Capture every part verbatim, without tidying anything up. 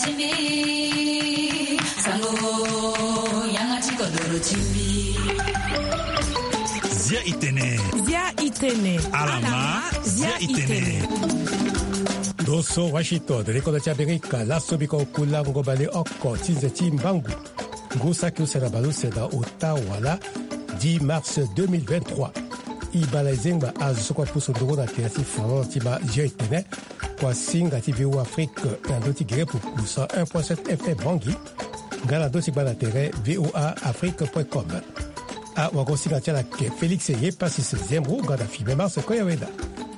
Timbi, sango, yanga ti kodoro timbi. Zia itene. Zia itene. Alama, zia itene. Ndo so Washington, leko na ti Amerika, laso biko kulango baleoko ti nze ti mbangu. Ngu saki use na baleuse na ota wala dix mars deux mille vingt-trois. Ibala ezengba azo so kue apusu nduru na tere ti Finlande ti ma zia itene. Kua singa ti V O A Afrique na ndö ti gere pupu cent un point sept F M Bangui, nga na ndö ti gba na tere V O A Afrique point com. Awagosinga ti ala ke Félix Yepasis Zembro nga na Fibin Mars Koyaweda.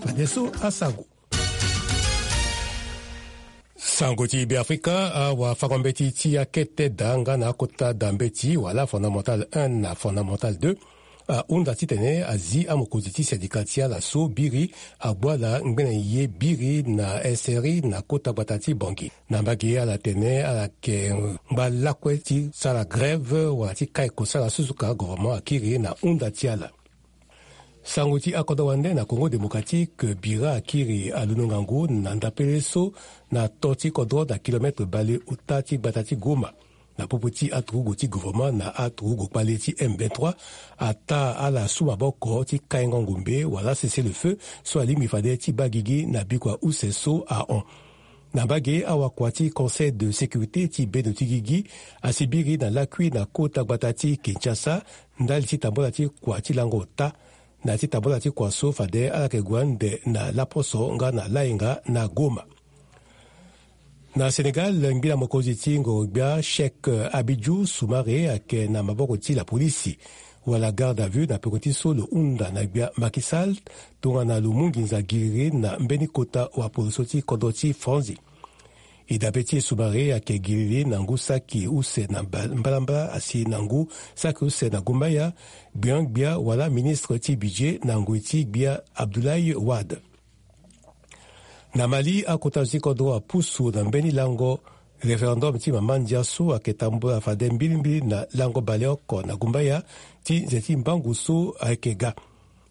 Fadeso asango. Sango ti Beafrika, awafango-mbeti ti akete da nga na akota da mbeti wala fondamental un na fondamental deux ahunda titene azi amokonzi ti syndicat ti ala so biri agbu ala ngbene ye biri na S R I na kota gbata ti Bangui. Na mbage ala tene ala yeke ngba lakue ti sara grève wala ti kai kosala so suka gouvernement akiri na hunda ti ala. Sango ti akodro wande na Congo Démocratique, bira akiri alondo ngangu na ndapele so na to ti kodro na kilomètre bale ota ti gbata ti Goma. Na popo ti aturugu ti gouvernement na aturugu kpale ti M vingt-trois, ataa ala su maboko ti kaingo ngombe wala cessez-le-feu so alingbi fade ti baa gigi na bikua use so ahon. Na mbage, awakua ti Conseil de sécurité ti bendo ti gigi asi biri na lakui na kota gbata ti Kinshasa ndali ti tambula ti kua ti lango ota, na ti tambula ti kua so fade ala yeke gue ande na laposo nga na layenga na Goma. Na Sénégal, ngbila mokonzi ti ngoro-gbia Cheikh Abidou Soumaré ayeke na maboko ti lapolisi wala garde à vue na peko ti so lo hunda na gbia Macky Sall tongana lo mu nginza giriri na mbeni kota wapolo so ti kodro ti Franzi. E dabe ti e Soumaré ayeke giriri na ngu saki use na mba-, mbalambala asi na ngu saki use na gumbaya, gbion-gbia wala ministre ti budget na ngoi ti gbia Abdoulaye Wade. Na Mali, akota zo ti kodro apusu na mbeni lango référendum ti mama ndia so ayeke tambula fade mbilimbili na lango baleoko na gumbaya ti nze ti mbangu so ayeke ga.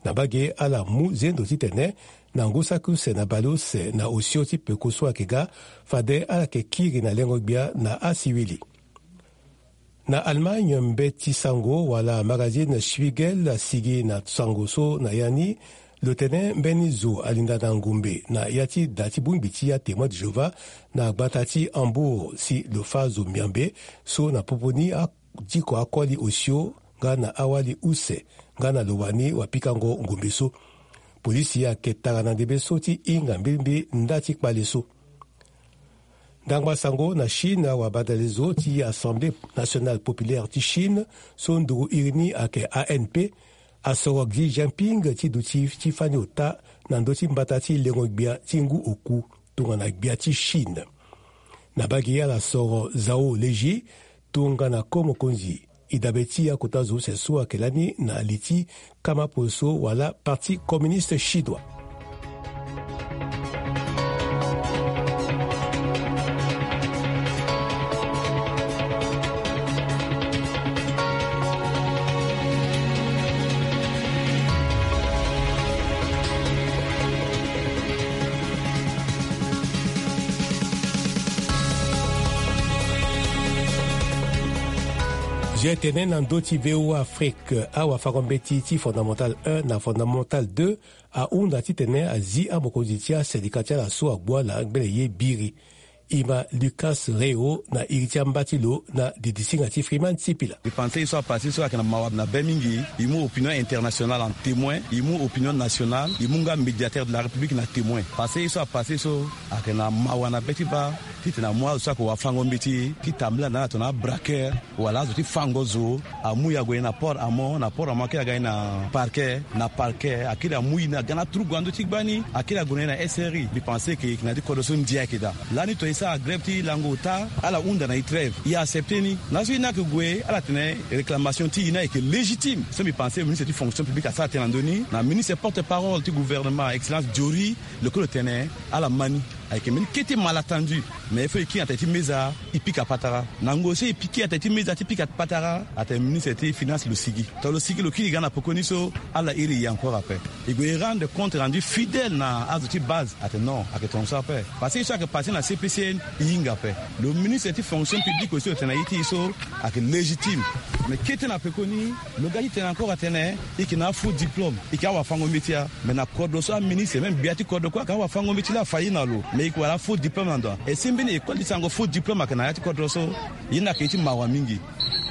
Na mbage, ala mu zendo titene na ngu saki use na baleuse na osio ti peko so ayeke ga, fade ala yeke kiri na lengo-gbia na asiwili. Na Allemagne, mbeti sango wala magazine Spiegel asigi na sango so na ya ni lo tene mbeni zo alinda na ngombe na ya ti da ti bongbi ti aTémoin de Jéhovah na gbata ti Hambourg si lo fâ zo miambe so na popo ni a- diko akoli osio nga na awali use nga na lo wani wapikango ngombe so. Polisi ayeke tara na ndembe so ti hinga mbilimbili nda ti kpale so. Ndangba sango na Chine, awabadalezo ti Assemblée Nationale Populaire ti Chine so nduru iri ni ayeke A N P asoro Xi Jinping ti duti ti fani ota na ndö ti mbata ti lengo-gbia ti ngu oku tongana gbia ti Chine. Na mbage, ala soro Zhao Leji tongana ko mokonzi. E dabe ti akota zo use so ayeke lani na li ti kama polo so wala Parti communiste chinois. Zia tene na ndö ti V O A Afrique, awafango-mbeti ti fondamental un na fondamental deux ahunda titene azi amokonzi ti asendika ti ala so agbu ala ngbene ye biri. E ma Lucas Reo na iri ti amba ti lo na didisinga ti Freeman Sipila. E panse ye so apasse so ayeke na mawa na be mingi. E mu opinion internationale en témoin, e mu opinion nationale, e mu nga médiateur de la République na témoin. Passe ye so apasse so ayeke na mawa na be ti baa titene amu azo so ayeke wafango-mbeti ti tambula na ala tongana abraqueur wala azo ti fango zo. Amu e ague na port amont, na port amont akiri aga e na parquet, na parquet akiri amu e na ga na turugu na ndö ti gbani, akiri ague na e na S R I. Mbi pense que e yeke na ya ti kodro so ndia ayeke daa. Lani to e sara grève ti lango ota, ala hunda na e trêve, e accepte ni. Laso e ni ayeke gue, ala tene réclamation ti e ni ayeke légitime. So mbi pense ministre ti fonction publique asara tënë na ndö ni, na ministre porte parole ti gouvernement, excellence Jory, lo kue lo tene ala ma ni. Ayeke mbeni kete malentendu. Mais il faut e kiri na tene ti meza, e pika patara. Na ngoi so e kiri na tene ti meza ti pika patara, atene ministre ti finance lo sigi. Tongana lo sigi, lo kiri ga na pekoni so, ala iri e encore ape. E gue e rendre compte rendu fidèle na azo ti base, atene non, ayeke tongana so ape. Parce que ye so ayeke passé na C P C N, e hinga ape. Lo ministre ti fonction publique aussi lo tene na ye ti e so, ayeke légitime. Mais kete na pekoni, lo ga ti tene encore atene, e yeke na afaux diplôme, e yeke awafango-mbeti ya. Mais na kodro so aministre, même gbia ti kodro kue, ayeke awafango-mbeti laa afa ye na lo. Mais e yeke wara afaux diplôme na ndo. E si mbeni école ti sango faux diplôme ayeke na ya ti kodro so. Ye ni ayeke ye ti mawa mingi.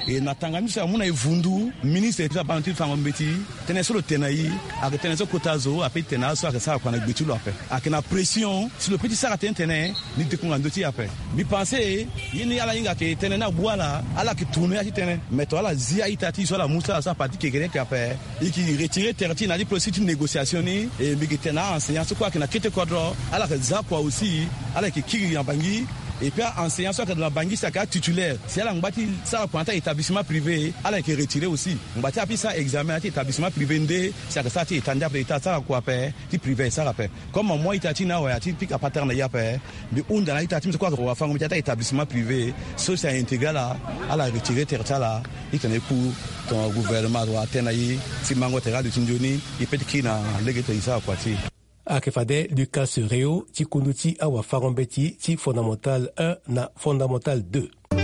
E na tanga ni so amu na e vundu, ministre ti abando ti fango-mbeti, tënë so lo tene na e, ayeke tënë so kota zo ape ti tene na azo so ayeke sara kua na gbe ti lo ape. Ayeke na pression si lo peut ti sara tënë tene, ni dekunga ndö ti e ape. Mbi pense, ye ni ala hinga ayeke tënë ni abu ala, ala yeke tourner ya ti tënë. Mais tongana ala zi a-ita ti e so ala mu sara so a parti kekereke ape, e yeke retirer tere ti e na ya ti processus ti négociation ni. E mbi yeke tene na a-enseignant so kue ayeke na kete kodro, ala yeke za kua aussi, ala yeke kiri na Bangui. Et puis a-enseignant so ayeke na Bangui si ayeke atitulaire, si ala ngba ti sara kua na ya ti a-établissement privé, ala yeke retirer aussi. Ngba ti ape ti sara examen na ya ti établissement privé nde, si ayeke sara ti état nde ape, état asara kua ape, ti privé asara ape. Comme amu a-ita ti e ni awe, a ti pika patara na e ape, mbi hunda na a-ita ti mbi so kue ayeke wafango-mbeti ti a-établissement privé so si a-intégrer ala, ala retirer tere ti ala, titene e ku tongana gouvernement azo atene na e, si mango tere aluti nzoni, e peut ti kiri na lege ti tene e sara kua ti e. Ayeke fade Lucas Reo ti kundu ti awafango-mbeti ti Fondamental un na Fondamental deux. E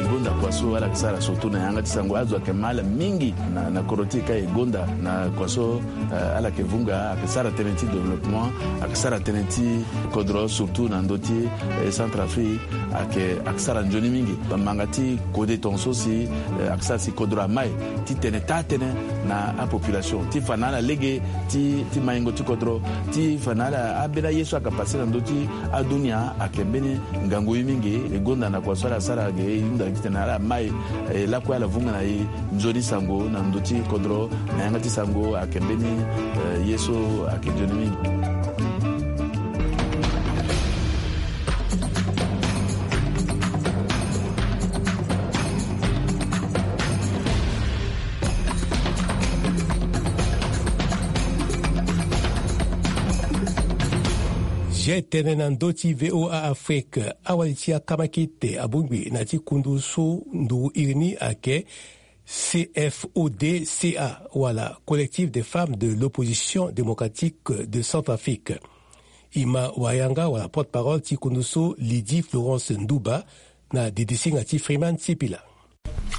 gonda kua so ala yeke sara surtout na yanga ti sango, azo ayeke ma ala mingi na, na kodro ti e ka e gonda na kua so, eh, ala yeke vunga, ayeke sara tënë ti développement, ayeke sara tënë ti kodro surtout na ndö ti, eh, Centrafrique, ayeke, ayeke sara nzoni mingi. Bamanga ti kode tongaso si, eh, ayeke sara si kodro amai ti tene taa tënë na apopulation ti fa na ala lege ti, ti maingo ti kodro, ti fa na ala ambeni aye so ayeke passé na ndö ti adunia ayeke mbeni ngangu ye mingi. E gonda na kua so ala sara ge, e hunda titene ala mai, e lakue ala vunga na e nzoni sango na ndö ti kodro, na yanga ti sango ayeke mbeni, eh, ye so ayeke nzoni mingi. Ge tene na ndö ti V O A Afrique, awali ti akamakete abongbi na ti kundu so nduru iri ni ayeke C F O D C A wala Collectif des Femmes de l'Opposition Démocratique de Centrafrique. E ma wayanga wala porte-parole ti kundu so Lydie Florence Ndouba na didisinga ti Freeman Sipila.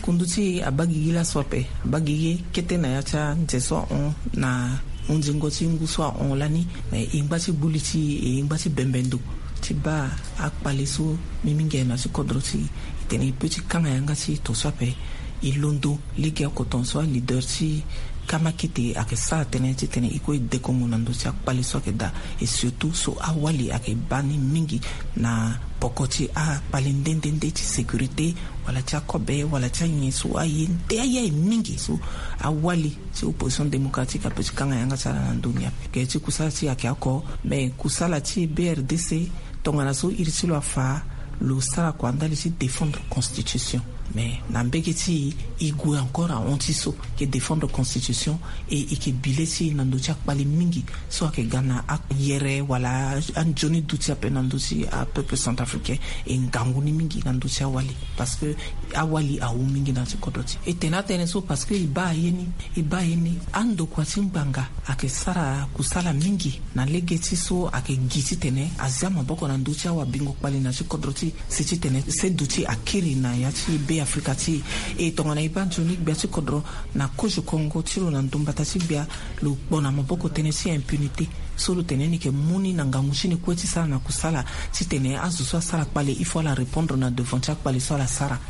Kundu ti e abaa gigi laso ape, abaa gigi kete na ya ti anze so ahon na hunzingo ti ngu so ahon lani. Me e ngba ti gbu li ti e, e ngba ti bembe ndo ti baa akpale so mbi mingi aye na ya ti kodro ti e, e tene e peut ti kanga yanga ti e tongaso ape. E londo lege oko tongaso aleader ti kamakete ayeke sara tënë titene e kue e dekongo na ndö ti akpale so ayeke daa. Et surtout so awali ayeke baa ni mingi na poko ti akpale nde nde nde ti sécurité, wala ti akobe, wala ti anyen so aye nde aye aye mingi so awali ti Opposition Démocratique apeut ti kanga yanga ti ala na ndö ni ape. Ge ti kusala ti e ayeke oko, me kusala ti B R D C, tongana so iri ti lo afa, lo sara kua ndali ti défendre constitution. Mais na mbege ti e, e gue encore ahon ti so, e ke défendre constitution, e e ke bi le ti e na ndö ti akpale mingi so ayeke ga na ayere wala anzoni duti ape na ndö ti apeuple centrafricain. E ngangu ni mingi na ndö ti awali, parce que awali awu mingi na ya ti kodro ti e. E tene atënë so parce que e baa ye ni, e baa ye ni, andokua ti ngbanga ayeke sara kusala mingi na lege ti so ayeke gi titene a zia maboko na ndö ti awabingo kpali na ya ti kodro ti e, si titene se duti akiri na ya ti Be Afrika ti e. E tongana e baa nzoni gbia ti kodro na kozo kongo ti lo na ndo mbata ti gbia, lo kpo na maboko tënë ti impunité. So lo tene ni yeke mu ni na ngangu ti ni kue ti sara na kusala titene azo so asara kpale il faut ala répondre na devant ti akpale so ala sara.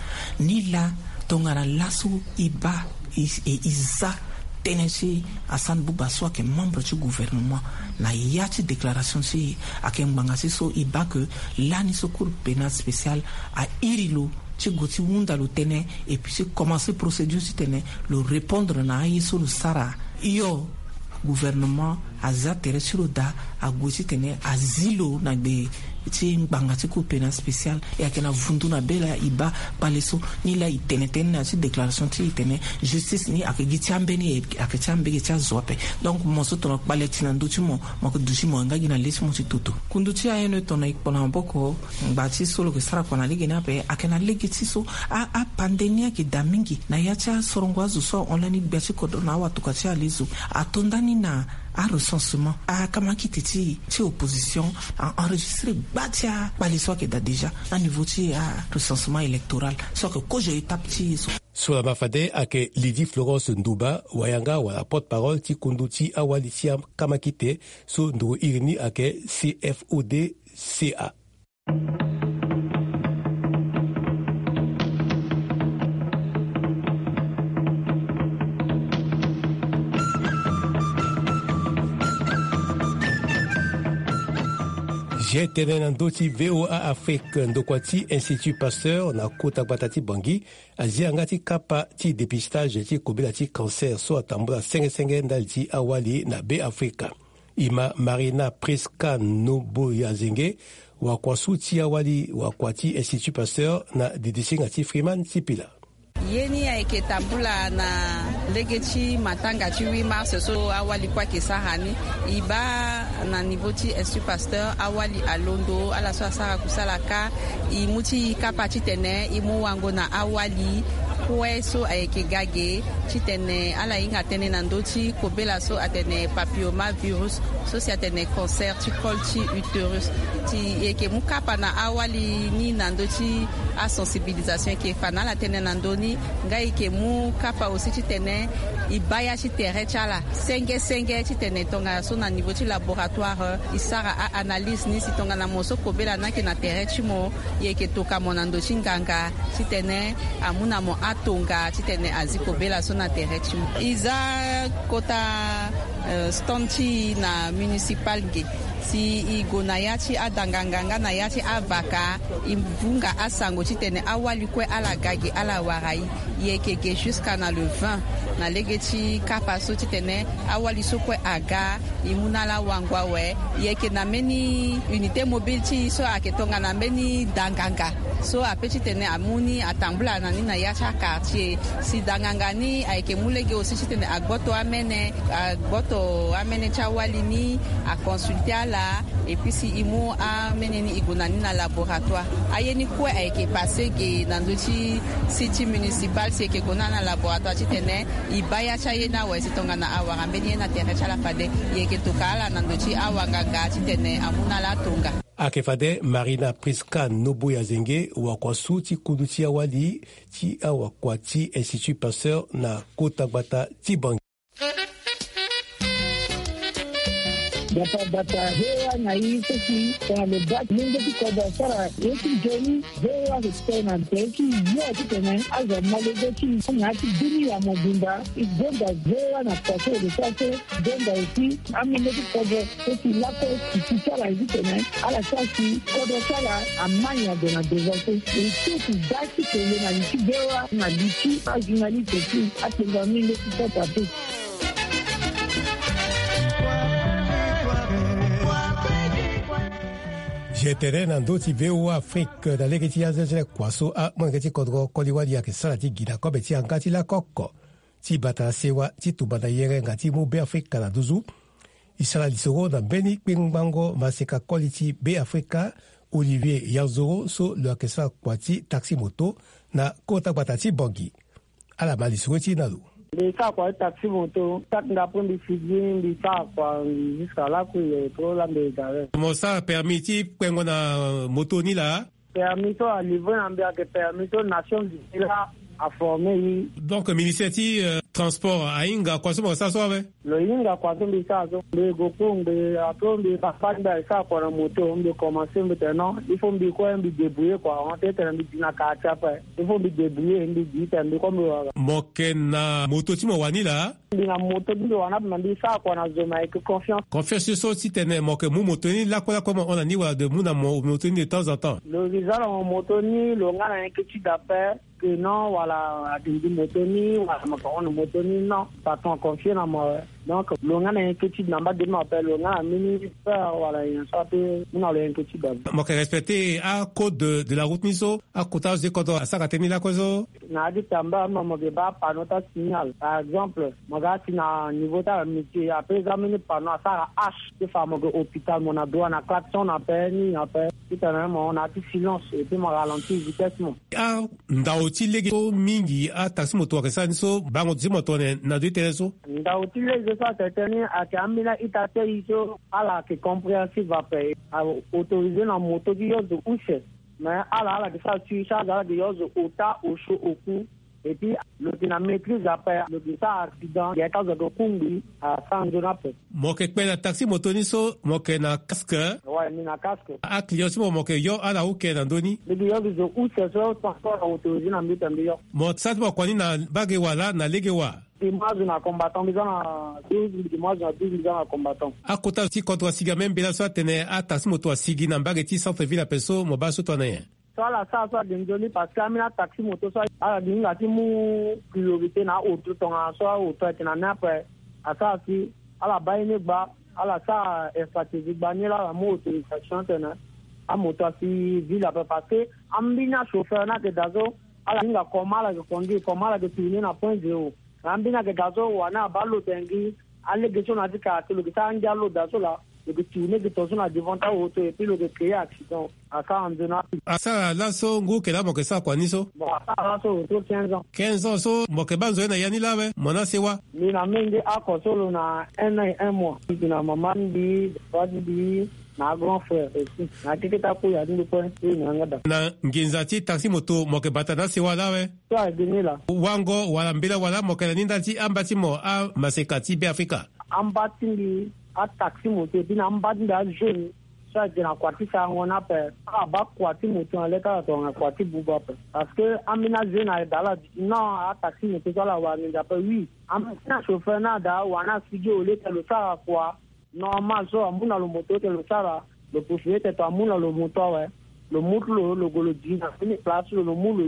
Nilaa tongana laso e baa e, e, e za tënë ti Hassan Bouba so ayeke membre ti gouvernement, na ya ti déclaration ti e ayeke ngbanga ti so e baa ke lani so Cour pénale spéciale airi lo ti gue ti hunda lo tënë, et puis ti commencer procédure titene lo répondre na aye so lo sara. Hio, gouvernement aza tere ti lo daa, ague titene azi lo na gbe Ti ngbanga ti cour pénale spéciale, e ayeke na vundu na be laa e baa kpale so. Ni laa e tene tënë na ya ti déclaration ti e tene justice ni ayeke gi ti ambeni, ayeke ti ambeni ti azo ape. Donc mo so tongana kpale ti na ndö ti mo, mo yeke duti mo nga gi na le ti mo ti toto. Kundu ti A N E tongana e kpo na maboko, ngba ti so lo yeke sara kua na lege ni ape ayeke na lege ti so a, apandemia ayeke daa mingi na ya ti asorongo azo so ahon lani gbia ti kodro na awatokua ti alezo. Ato ndani na arecensement, akamakite ti, ti opposition a-enregistré gba ti akpale so ayeke daa déjà na niveau ti arecensement électoral so ayeke kozo étape ti e so. So laa ma fade ayeke Lydie Florence Ndouba, wayanga wala porte-parole ti kundu ti awali ti akamakite so nduru iri ni ayeke C F O D C A. G T N na ndö ti V O A Afrique, ndokua ti Institut Pasteur na kota gbata ti Bangui, azia yanga ti kapa ti dépistage ti kobela ti cancer so atambula senge senge ndali ti awali na Be Afrika. E ma Marina Prisca Noboyazenge, wakua su ti awali wakua ti Institut Pasteur na didisinga ti Freeman Sipila. Ye ni ayeke tambula na lege ti matanga ti huit mars so awali kue ayeke sara ni. E baa na niveau ti Institut Pasteur awali alondo ala so asara kusala kâ. E mu ti e kapa titene e mu wango na awali kue so ayeke ga ge titene ala hinga tënë na ndö ti kobela so atene papillomavirus so si atene cancer ti col ti utérus. Ti e yeke mu kapa na awali ni na ndö ti asensibilisation, e yeke fa na ala tënë na ndö ni. Nga e yeke mu kapa aussi titene e baa ya ti tere ti ala senge senge titene tongana so na niveau ti laboratoire e sara a-analyse ni, si tongana mo so kobela ni ayeke na tere ti mo, e yeke toka mo na ndö ti nganga titene amu na mo atonga titene azi kobela so na tere ti mo. E za kota, eh, stand ti e na municipal ge. Si e gue na ya ti adanganga nga na ya ti avaka, e vunga asango titene awali kue ala ga ge ala wara e. E yeke ge jusqu'à na le vingt na lege ti kapa so titene awali so kue aga, e mu na ala wango awe. E yeke na mbeni unité mobile ti e so ayeke tongana mbeni danganga so ape titene amu ni atambula na ni na ya ti aquartier. Si danganga ni ayeke mu lege aussi titene agboto amene, agboto amene ti awali ni, aconsulte ala. Et puis si e mu amene ni e gue na ni na laboratoire. Aye ni kue ayeke passé ge na ndö ti site ti municipal, si e yeke gue na ala na laboratoire titene e baa ya ti aye ni awe, si tongana awara mbeni ye na tere ti ala fade, e yeke toka ala na ndö ti awanganga titene amu na ala atonga. Ayeke fade Marina Prisca Noboyazenge, wakua su ti kundu ti awali ti awakua ti Institut Pasteur na kota gbata ti Bangui. Gbata gbata V O A na e so si tongana lo baa ti lenge ti kodro asara ye ti nzoni, V O A ayeke tene na tere ti yo titene azo amolenge ti e na ya ti bini ya mobimba. E gonda V O A na kua so e lo sara so, gonda aussi amolenge ti kodro so si lakue si ti ti ala ye titene ala sara si kodro ti ala amai ade na devant so. E so si da ti kele na li ti V O A na li ti ajournaliste ti atenga mingi ti kota te. G T N na ndö ti V O A Afrique na lege ti azo ti le kua so amolenge ti kodro koli wali ayeke sara ti gi na kobe ti yanga ti lakoko ti bata na sewa ti tumba na yere nga ti mu Be Afrika na nduzu. E sara lisoro na mbeni kpengbango maseka koli ti Be Afrika, Olivier Yanzoro so lo yeke sara kua ti taxi moto na kota gbata ti Bangui. Ala ma lisoro ti e na lo. Mbi sara kua ti taxi moto, saki nga après mbi figi, mbi sara kua jusqu'à là que il est trop là, mbi égaré. Mo sara permis ti kpengo na moto ni laa? Permis so alivre na mbi ayeke permis so Nations Unies laa aforme e. Donc ministère ti, euh, transport ahinga kua so mo sara so awe? Lo hinga kua so mbi sara so. Mbi gue cours ngbe, après mbi papa ti mbi asara kua na moto, mbi commencé, mbi tene non, il faut mbi kue mbi débrouiller kua, on tene mbi di na quartier ape. Il faut mbi débrouiller, mbi di tene mbi kue mbi wara. Mo yeke na moto ti mo wani laa? Mbi na moto ti mbi wani ape, me mbi sara kua na zo, me ayeke confiance. Confiance so titene mo yeke mu moto ni lakue lakue mo hon na ni wala de mu na mo moto ni de temps en temps? Lo zi za na mo moto ni, lo nga na inquiétude ape. Que non, wala ati ndi moto ni, wala mo yeke hon na moto ni, non. Patron aconfie na mo awe. Donc lo nga na inquiétude na mbage ni ape, lo nga na mbeni peur wala nyen so ape. Mu na lo inquiétude ape. Mo yeke respecter acode de la route ni so akota azo ti kodro asara tënë ni lakue so? Na ya ti tamba mo mo yeke baa panneau ti asignal. Par exemple, mo ga si na niveau ti amitié ape, za mbeni panneau asara hache ti fa mo yeke hôpital, mo na droit na klaxon ape, nini ape. Titene mo na ya ti silence et puis mo ralentir vitesse mo. Andao ti lege so mingi ataxi moto ayeke sara ni so, bango ti mo tongana na ndö ti tënë so? Ndao ti lege so atene tënë ni ayeke ambeni a-ita ti aye so ala yeke compréhensive ape. Aautorisé na moto ti yo zo use. Mais ala ala yeke sara surcharge, ala yeke yo zo ota osio oku. Et puis lo yeke na maîtrise ape, lo yeke sara accident, yeke azo yeke kungbi, asara nzoni ape. Mo yeke kpe na taxi moto ni so, mo yeke na casque? Ouais, mbi na casque. Aclient ti mo, mo yeke yo ala uke na ndö ni? Mbi yeke yo zo use so transport autorisé na mbi tene mbi yo. Mo sara ti mo kua ni na mbage wa laa na lege wa? Mbi mu azo na combattant, mbi za na douze, mbi yeke mu azo na douze, mbi za na combattant. Akota ti kodro asigi ambeni mbela so atene ataxi moto asigi na mbage ti centre ville ape so, mo baa so tongana nyen? So ala sara so ade nzoni parce que ambeni ataxi moto so ala gi hinga ti mu priorité na aoto tongana so aoto ayeke na ni ape. Asara si ala baa ye ni gba, ala sara infrastructure gba ni laa ala mu autorisation tene amoto asi ville ape parce que ambeni achauffeur ni ayeke daa so ala hinga comment ala yeke conduire, comment ala yeke tourner na point zéro. Na ambeni ayeke daa so wani abaa lo tene gi alege so na ya ti kara te lo yeke sara angia lo daa so laa, lo yeke tourner gi tonga so na devant ti aoto et puis lo yeke créer accident. Asara nzoni ape. Asara laso ngu yeke laa mo yeke sara kua ni so? Bon, asara laso autour quinze ans. Quinze ans so mo yeke baa nzoni na ya ni laa awe, mo na sewa? Mbi na menge oko so lo na un an et un mois. Mbi na mama ti mbi, papa ti mbi, na grand frère aussi. Na keke ti akuya ti mbi kue, so e na yanga daa. Na nginza ti taxi moto mo yeke bata na asewa laa awe? So ayeke ni laa. Wango wala mbela wa laa mo yeke na ni ndali ti amba ti mo amaseka ti Beafrika? Amba ti mbi ataxi moto et puis na amba ti mbi ajeune so ayeke na kua ti sarango ni ape. Ala baa kua ti moto na le ti ala tongana kua ti buba ape. Parce que ambeni ajeune ayeke daa ala duti non, ataxi moto so ala wara nginza ape oui. Ambeni achauffeur ni adaa wani asigi au lieu tene lo sara kua normal so amu na lo moto tene lo sara, lo possibilité tene amu na lo moto awe. Lo mu ti lo, lo gue lo di na mbeni place ti lo, lo mu lo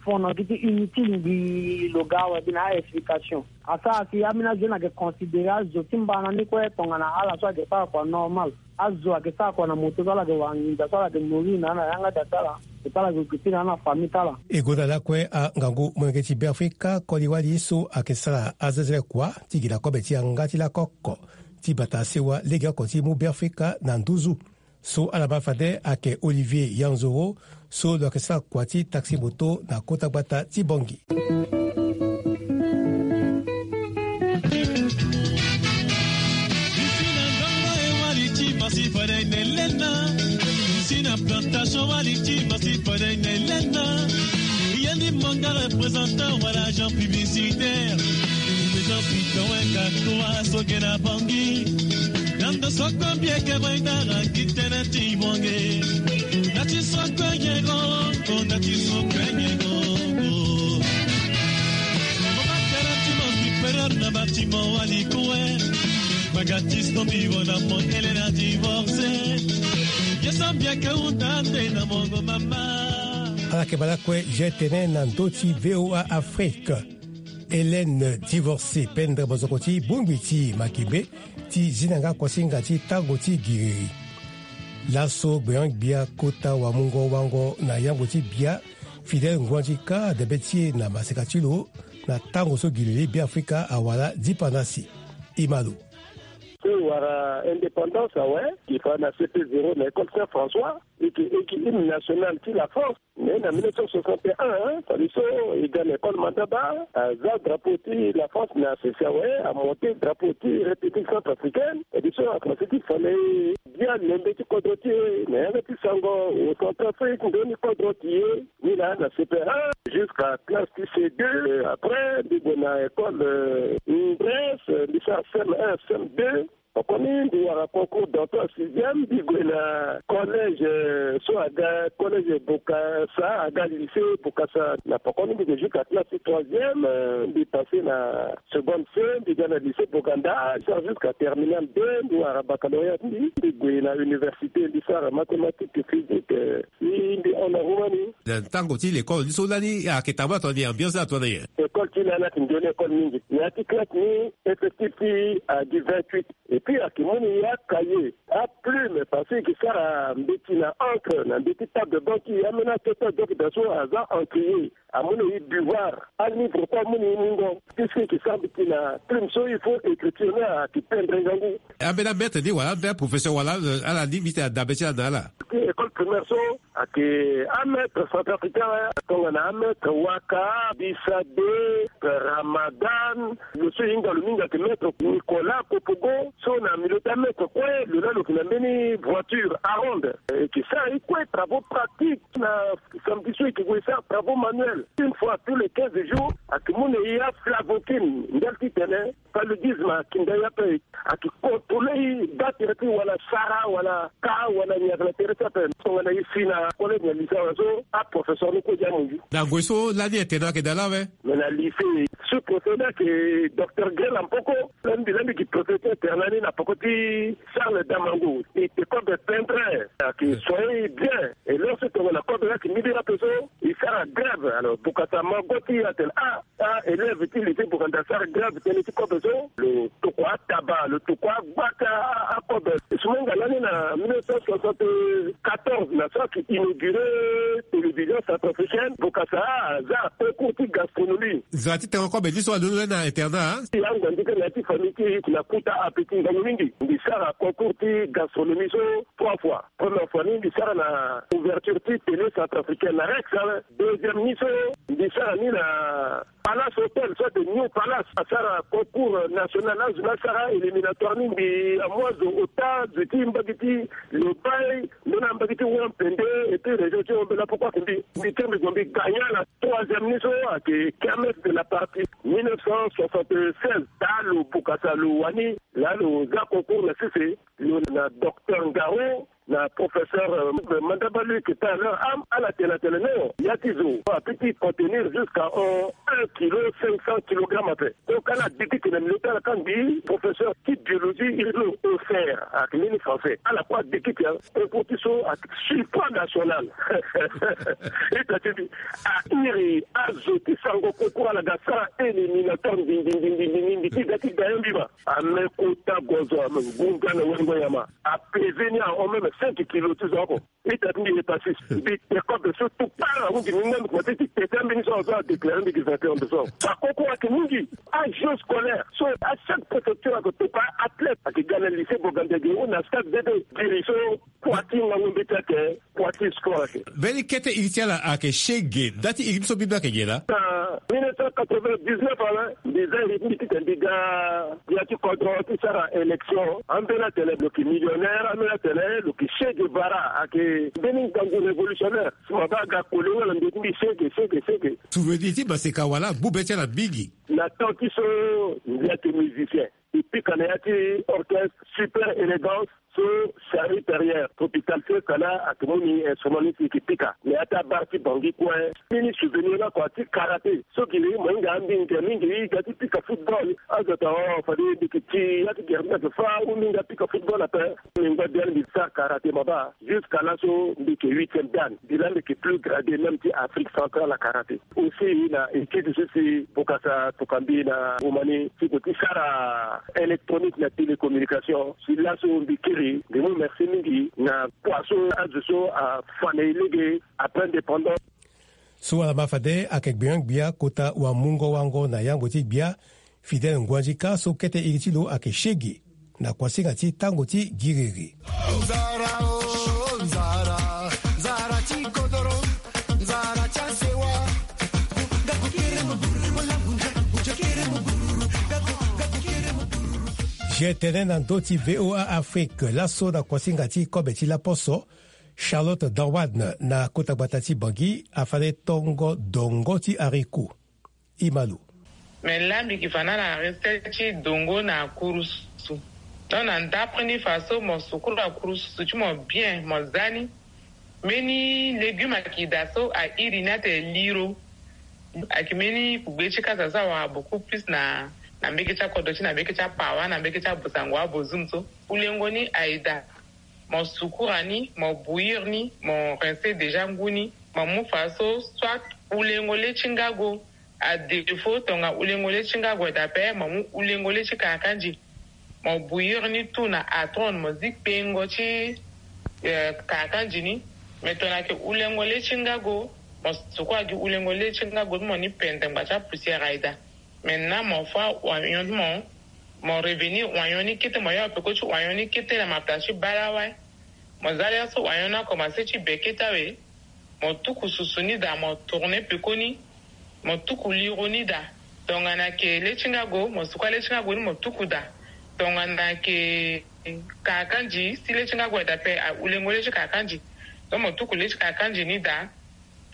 fo na gi ti inutile ngbii lo ga awe gi na a-explication. Asara si ambeni ajeune ayeke considérer azo ti mbana ni kue tongana ala so ayeke sara kua normal. Azo ayeke sara kua na moto so ala yeke wara nginza so ala yeke nourrir na ya na yanga daa ti ala, et puis ala yeke occupé na ya na famille ti ala. E gonda lakue angangu molenge ti Beafrika koli wali so ayeke sara azezele kua ti gi na kobe ti yanga ti lako oko ti bata sewa legeoko ti mu Beafrika na nduzu. So ala baa fade ayeke Olivier Yanzoro, so lo yeke sara kua ti taxi moto na kota gbata ti Bangui. Isi na ndongo e wali ti masi fade na elena. Isi na plantation wali ti masi fade na elena. Ye ni manga représentant wala agent publicitaire. Jean Piton weka toa so ge na Bangui. Yando soko mbi eke boy dara gi tënë ti bonge. Na ti soko nyego, na ti soko nyego. Mo batara ti mo supérieur na bâtiment wali kue. Magatis no mbi vo na mo Elena divorcé. Ye so mbi eke hunda nde na mongo mama. Ala yeke baa lakue je tene na ndö ti V O A Afrique. Hélène Divorcé, pendre mozoko ti bongbi ti Makembe, ti zi na nga kuasinga ti tango ti giriri. Laso gbeon-gbia kota wamungo wango na yango ti bia, Fidèle Nguandika, debe ti e na maseka ti lo, na tango so giriri Beafrika awara dipandasi. E ma lo. So e wara indépendance awe, e fa na C P zéro na école Saint François, e yeke, e yeke hymne national ti la France. Mais na mille neuf cent soixante et un, hein, fade so e ga na école Mandaba, aza drapeau ti la France na sese awe, amonté drapeau ti République centrafricaine. E di so akomanse ti fa na e bia lembe ti kodro ti e na yanga ti sango o Centrafrique ndoni kodro ti e. Ni laa na C P un jusqu'à classe ti C deux. Après mbi gue na école, euh, Grèce, mbi sara C M un, C M deux. Koni mbi wara concours d'entrée en sixième, mbi gue na collège, euh, so aga collège Bokassa, aga lycée Bokassa. Na pokoni mbi gue jusqu'à classe troisième, euh, mbi passé na seconde C, mbi ga na lycée Boganda, sara jusqu'à terminale deux, mbi wara baccalauréat, mbi, mbi gue na université, mbi sara mathématique, physique, euh, mbi, mbi hon na Roumanie. Na ntango ti l'école ni so lani ayeke tambula tongana nyen, ambiance ni atongana nyen? École ti lani ayeke nzoni école mingi. Na ya ti classe ni, effectif ti agi vingt-huit. Et puis ayeke mu na e acahier, aplume, parce que e ke sara mbeti na encre na mbeti table de banc ti e, ambeni akete adoki daa so aza encrier. Amu na e buvard, alivre kue amu na e mungo. Puisque e ke sara mbeti na plume so, il faut écriture ni ayeke tendre ngangu. Ambeni amaître ni wala ambeni aprofesseur wala, euh, ala ni mbi tene adabe ti ala na ala? Ti école primaire so, ayeke amaître centrafricain, tongana amaître Waka, Bisabe, Ramadan, lo so e hinga lo mingi ayeke maître Nicolas Kopogo, so na milieu ti amaître kue, lo laa lo yeke na mbeni voiture Aronde. E ke sara e kue travaux pratiques. Na samedi so e ke gue sara travaux manuels. Une fois tous les quinze jours, ayeke mu na e aflavoquine, ndali titene paludisme akinda e ape. Ayeke contrôler e, baa tere ti e wala sara, wala ka, wala nyaga na tere ti e ape. Tongana e si na collège na lycée awe so, aprofesseur ni kue ti amunzu. Na ngoi so lani internat ayeke daa laa awe? Mais na lycée, sous-préfet ni ayeke docteur Grel Ampoko. Lani mbi, lani mbi yeke préfet ti internat ni na poko ti Charles Damango. E te kobe pendre, ayeke soigner e bien. Et lorsque tongana kobe ni ayeke mbiri ape so, e sara grève. Alors Bokassa ma go ti e atene, ah, ah, élève ti lycée Boganda asara grève tënë ti kobe so. Lo tokua ataba, lo tokua agba ti akobe. Sumenga lani na mille neuf cent soixante-quatorze, na so ayeke inauguré télévision centrafricaine, Bokassa aza concours ti gastronomie. Nzara ti tengo kobe ni so alondo na internat, hein? E angua nzeke na ya ti famille ti e na kota appétit ngangu mingi. Mbi sara concours ti gastronomie so trois fois. Première fois ni mbi sara na ouverture ti télé centrafricaine na Rex, hein. Deuxième ni so mbi sara ni na Palace Hotel, soit de New Palace. Asara concours national, azo ni asara éliminatoire ni, mbi amu azo ota, zo ti mbage ti Lobaye, ndona mbage ti Wampende, et puis région ti Hombela, pourquoi que mbi, mbi kiri mbi gue mbi gagna na troisième ni so ayeke kermesse de la patrie mille neuf cent soixante-seize. Taa lo Bokassa lo wani, laa lo za concours na sese, lo na docteur Ngaro, na professeur, euh, Mandaba Luc Taylor, am, ala tene atene non, ya ti zo apeut ti contenir jusqu'à, euh, un kilo cinq cents kilogrammes ape. Donc ala dikiti na milieu ti ala, kangbi professeur ti biologie, Irlo Ofer, ayeke mbeni français. Ala kue adikiti, hein, concours ti so ayeke surpoids national. Ita ti mbi, a iri azo ti sango concours, ala ga sara éliminatoire ndindindindindi ti ga ti gagnant mbi ma. Ame kota gozo, ame ngunza na wengo nyama. Apesé ni ahon même cinq kilos ti zo oko. Ita ti mbi, hépatite. Mbi te kobe so tout part, ahunzi mbi ngandu kua ti te ti ambeni so, azo adéclaré mbi gi vainqueur de so. Aconcours ayeke mingi. Agent scolaire so, à chaque préfecture ayeke tokua athlète. Ayeke ga na lycée Boganda ge ou na stade bébé. Giri so, kua ti ngangu mbeti ayeke, kua ti sport ayeke. Mbeni kete iri ti ala ayeke shege. Nda ti iri ti so mbi baa ayeke nyen laa? Na mille neuf cent quatre-vingt-dix-neuf awe, mbi za iri ti mbi titene mbi ga ya ti kodro ti sara élection. Ambeni atene lo yeke millionnaire, ambeni atene lo yeke Che Guevara, ayeke mbeni ngangu révolutionnaire. Si mo baa aga koli nga na ndo ti mbi, shege, shege, shege. Souvenir ti maseka wala agbu be ti ala mingi. Na temps ti so mbi ayeke musicien. E pika na ya ti orchestre Super Élégance, so Charlie Perrier, Tropical Fiesta laa ayeke mu ni instrument ni si e yeke pika. Na ya ti abar ti Bangui kue. Mbeni souvenir ni oko ti karaté. So giri mo hinga ambinga mingi, e ga ti pika football. Azo atene, oh, fade mbi yeke ti ya ti gere ni ayeke fâ, ou mbi hinga pika football ape. Mbi ngba biani mbi sara karaté, mo baa. Jusqu'à laso mbi yeke huitième dan. Mbi laa mbi yeke plus gradé même ti Afrique centrale na karaté. Aussi na équipe so si Bokassa atokua mbi na Roumanie, ti gue ti sara électronique na télécommunication. Si laso mbi kiri, mbi mu merci mingi na kua so azo so afa na e lege après indépendance. So ala ma fade ayeke gbia-gbia kota wamungo-wango na yangbo ti gbia, Fidèle Nguandika, so kete iri ti lo ayeke Shege, na kuasinga ti tango ti giriri. G T N na ndö ti V O A Afrique, laso na kuasinga ti kobe ti laposo, Charlotte Darwan na kota gbata ti Bangui afa na e tongo dongo ti haricot. Imalo. Me laa mbi yeke fa na ala na recette ti dongo na kurusu. Donc na ndapre ni faso mo sukura kurususu ti mo bien, mo za ni. Mbeni légume ayeke daa so a iri ni atene liro. Ayeke mbeni kugbe ti kasa so awara beaucoup plus na na mbeke ti akodro ti na mbeke ti apawa na mbeke ti abosango abozoum so. Ulengo ni aye daa. Mo sukura ni, mo bouillir ni, mo rincer déjà ngu ni. Mo mu faso soit ulengo le ti ngago. A défaut tonga ulengo le ti ngago aye daa ape, mo mu ulengo le ti kakandi. Mo bouillir ni tout na atron, mo zi kpengo ti kakandi ni. Mais tongana ayeke ulengo le ti ngago, mo sukura gi ulengo le ti ngago ti mo ni pendre ngba ti apoussière aye daa. Maintenant mo fâ oignon ti mo. Mo revenir oignon ni kete, mo yoro peko ti oignon ni kete na mapela ti balewa. Mo za lere so oignon ni akomanse ti be kete awe. Mo tuku susu ni daa, mo tourner peko ni. Mo tuku liro ni daa. Tongana ayeke le ti ngago, mo sukura le ti ngago ni mo tuku daa. Tongana ayeke kakandi, si le ti ngago aye daa ape, a ulengo le ti kakandi. Donc mo tuku le ti kakandi ni daa.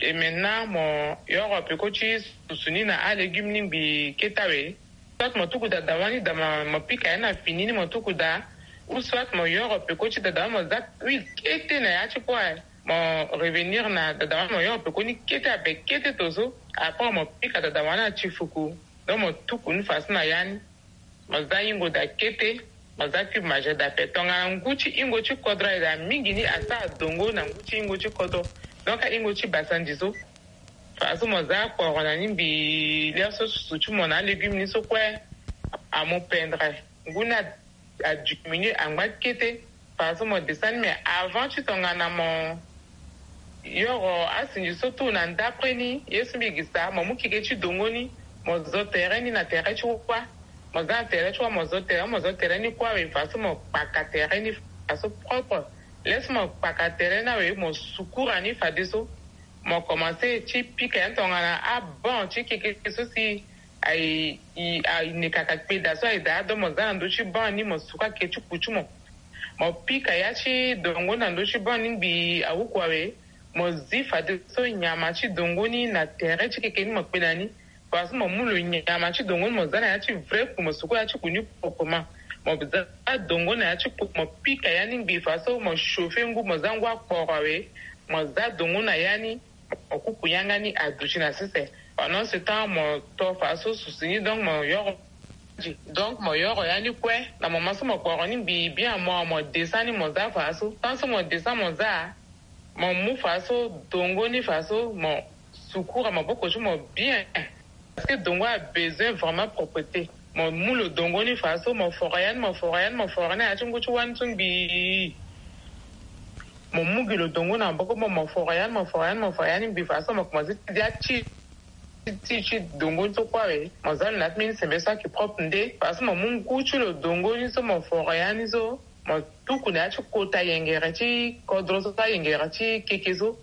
Et maintenant mo yoro peko ti susu ni na alégume ni ngbi kete awe. Soit mo tuku daa dawa ni daa, mo pika ya ni na fini ni mo tuku daa. Ou soit mo yoro peko ti daa dawa ni mo za huile kete na ya ti kue. Mo revenir na daa dawa ni mo yoro peko ni kete ape kete to so. Après mo pika daa dawa ni na ti fuku. Donc mo tuku ni faso na ya ni. Mo za hingo daa kete. Mo za cube Maggi daa ape. Tongana ngu ti hingo ti kodro aye daa mingi ni asara dongo na ngu ti hingo ti kodro. Donc ahingo ti basandi so. Faso mo za kporo na ni ngbi lere so susu ti mo na alégume ni so kue. Amu pendre ngu ni adiminuer angba kete. Faso mo descend ni, mais avant ti tongana mo yoro asinzi so tout na ndapre ni ye so mbi gi sa, mo mu keke ti dongo ni. Mo zo tere ni na tere ti wa. Mo za na tere ti wa, mo zo tere, mo zo tere ni kue awe. Faso mo kpaka tere ni faso propre. Lere so mo kpaka tere ni awe, mo sukura ni fadeso. Mo komanse ti pika ya ni tongana abon ti keke so si aye, aye nekaka kpeda so aye daa. Donc mo za na ndö ti bon ni, mo suka ke ti ku ti mo. Mo pika ya ti dongo na ndö ti bon ni ngbi awuku awe. Mo zi fadeso nyama ti dongo ni na tere ti keke ni mo kpe na ni. Faso mo mu lo nyama ti dongo ni mo za na ya ti vrai ku, mo suka ya ti ku ni proprement. Mo za dongo na ya ti ku, mo pika ya ni ngbi faso mo chauffer ngu, mo za ngu akporo awe. Mo za dongo na ya ni. Mo kuku yanga ni aduti na sese. Pendant ce temps mo to faso susu ni, donc mo yoro. Donc mo yoro ya ni kue. Na moment so mo kporo ni ngbi bien, mo mo descend ni, mo za faso. Tant so mo descend mo za, mo mu faso dongo ni faso mo sukura maboko ti mo bien. Parce que dongo a besoin vraiment propreté. Mo mu lo dongo ni faso mo foro ya ni, mo foro ya ni, mo foro ni na ya ti ngu ti wani so ngbi. Mo mu gi lo dongo na maboko mo, mo foro ya ni, mo foro ya ni, mo foro ya ni ngbi faso mo komanse ti dia ti ti ti dongo ni so kue awe. Mo za lo na ya ti mbeni sembe so ayeke propre nde. Faso mo mu ngu ti lo dongo ni so mo foro ya ni so, mo tuku na ya ti kota yengere ti kodro so, ayengere ti keke so.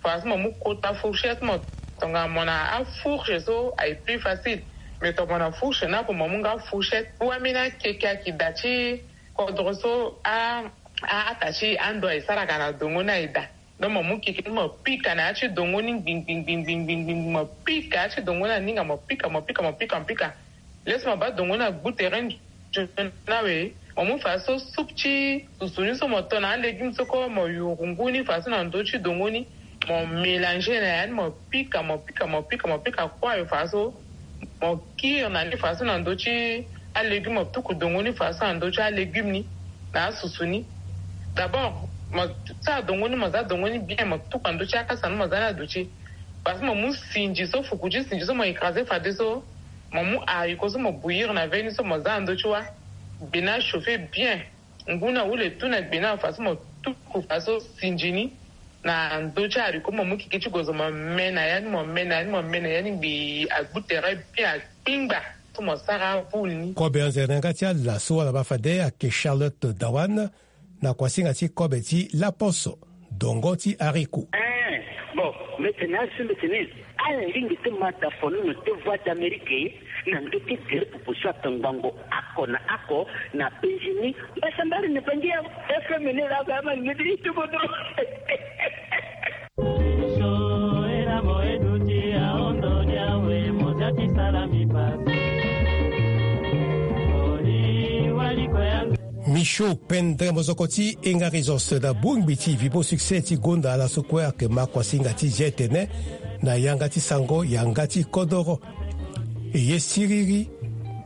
Faso mo mu kota fourchette mo. Tongana mo na afourche so aye plus facile. Mais tongana mo na fourche ni ape, mo mu nga fourchette. Wameni akeke ayeke daa ti kodro so a, a, ata ti ando aye saraka na dongo ni aye daa. Donc mo mu keke ni mo pika na ya ti dongo ni ngbingbingbingbingbingbing, mo pika ya ti dongo ni aninga, mo pika, mo pika, mo pika, mo pika. Lere so mo baa dongo ni agbu tere nzoni awe, mo mu faso soupe ti susu ni so mo to na alégume so kue, mo yuru ngu ni faso na ndö ti dongo ni. Mo mélanger na ya ni, mo pika, mo pika, mo pika, mo pika kue awe faso. Mo kiri na ni faso na ndö ti alégume, mo tuku dongo ni faso na ndö ti alégume ni na asusu ni. D'abord mo sara dongo ni, mo za dongo ni bien, mo tuku na ndö ti akasa ni, mo za ni aduti. Faso mo mu sinzi so, fuku ti sinzi so mo écraser fadeso. Mo mu haricot so mo bouillir na veni so mo za na ndö ti wa. Gbe ni achauffer bien. Ngu ni ahule tout na gbe ni afa so mo tuku faso sinzi ni na ndö ti haricot, mo mu keke ti gozo mo me na ya ni, mo me na ya ni, mo me na ya ni ngbii agbu tere bien akpingba. So mo sara boule ni. Kobe anzere na yanga ti ala so wala baa fade ayeke Charlotte Dawan, na kuasinga ti kobe ti laposo, dongo ti haricot. Eh, bon, mbi tene asi mbi tene. Ala lingbi ti ma dafono na te Voix d'Amérique na ndö ti gere pupu so atongbango oko na oko na Benjini. Mbasambari na bangi ya F M ni laa, ba ma lingbi ti kodro. Show pendre mozoko ti enga resource na bongbi ti vibo succès ti gonda ala so kue ayeke ma kuasinga ti zia etene na yanga ti sango yanga ti kodoro. Eye siriri,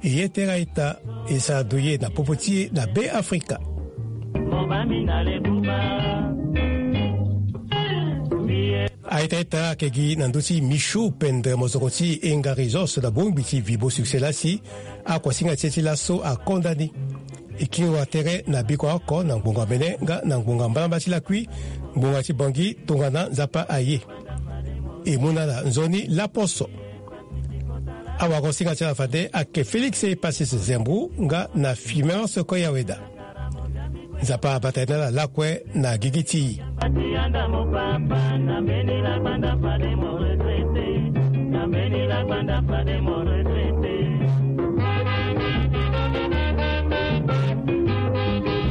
eye tera ita, e sara doye na popo ti e na be afrika. Aita ita ake gi na ndö ti michou pendre mozoko ti enga resource na bongbi ti vibo succès lasi. Akuasinga ti e ti laso akonda ni. E kiri wa tere na biko oko na ngbonga mene nga na ngbonga mbalamba ti lakui, ngbonga ti bangi tongana nzapa aye. E mu na ala nzoni laposo. Awagosinga ti ala fade ake félix e pasis zembu nga na fimance koyaweda. Nzapa abata ye na ala lakue na gigi ti.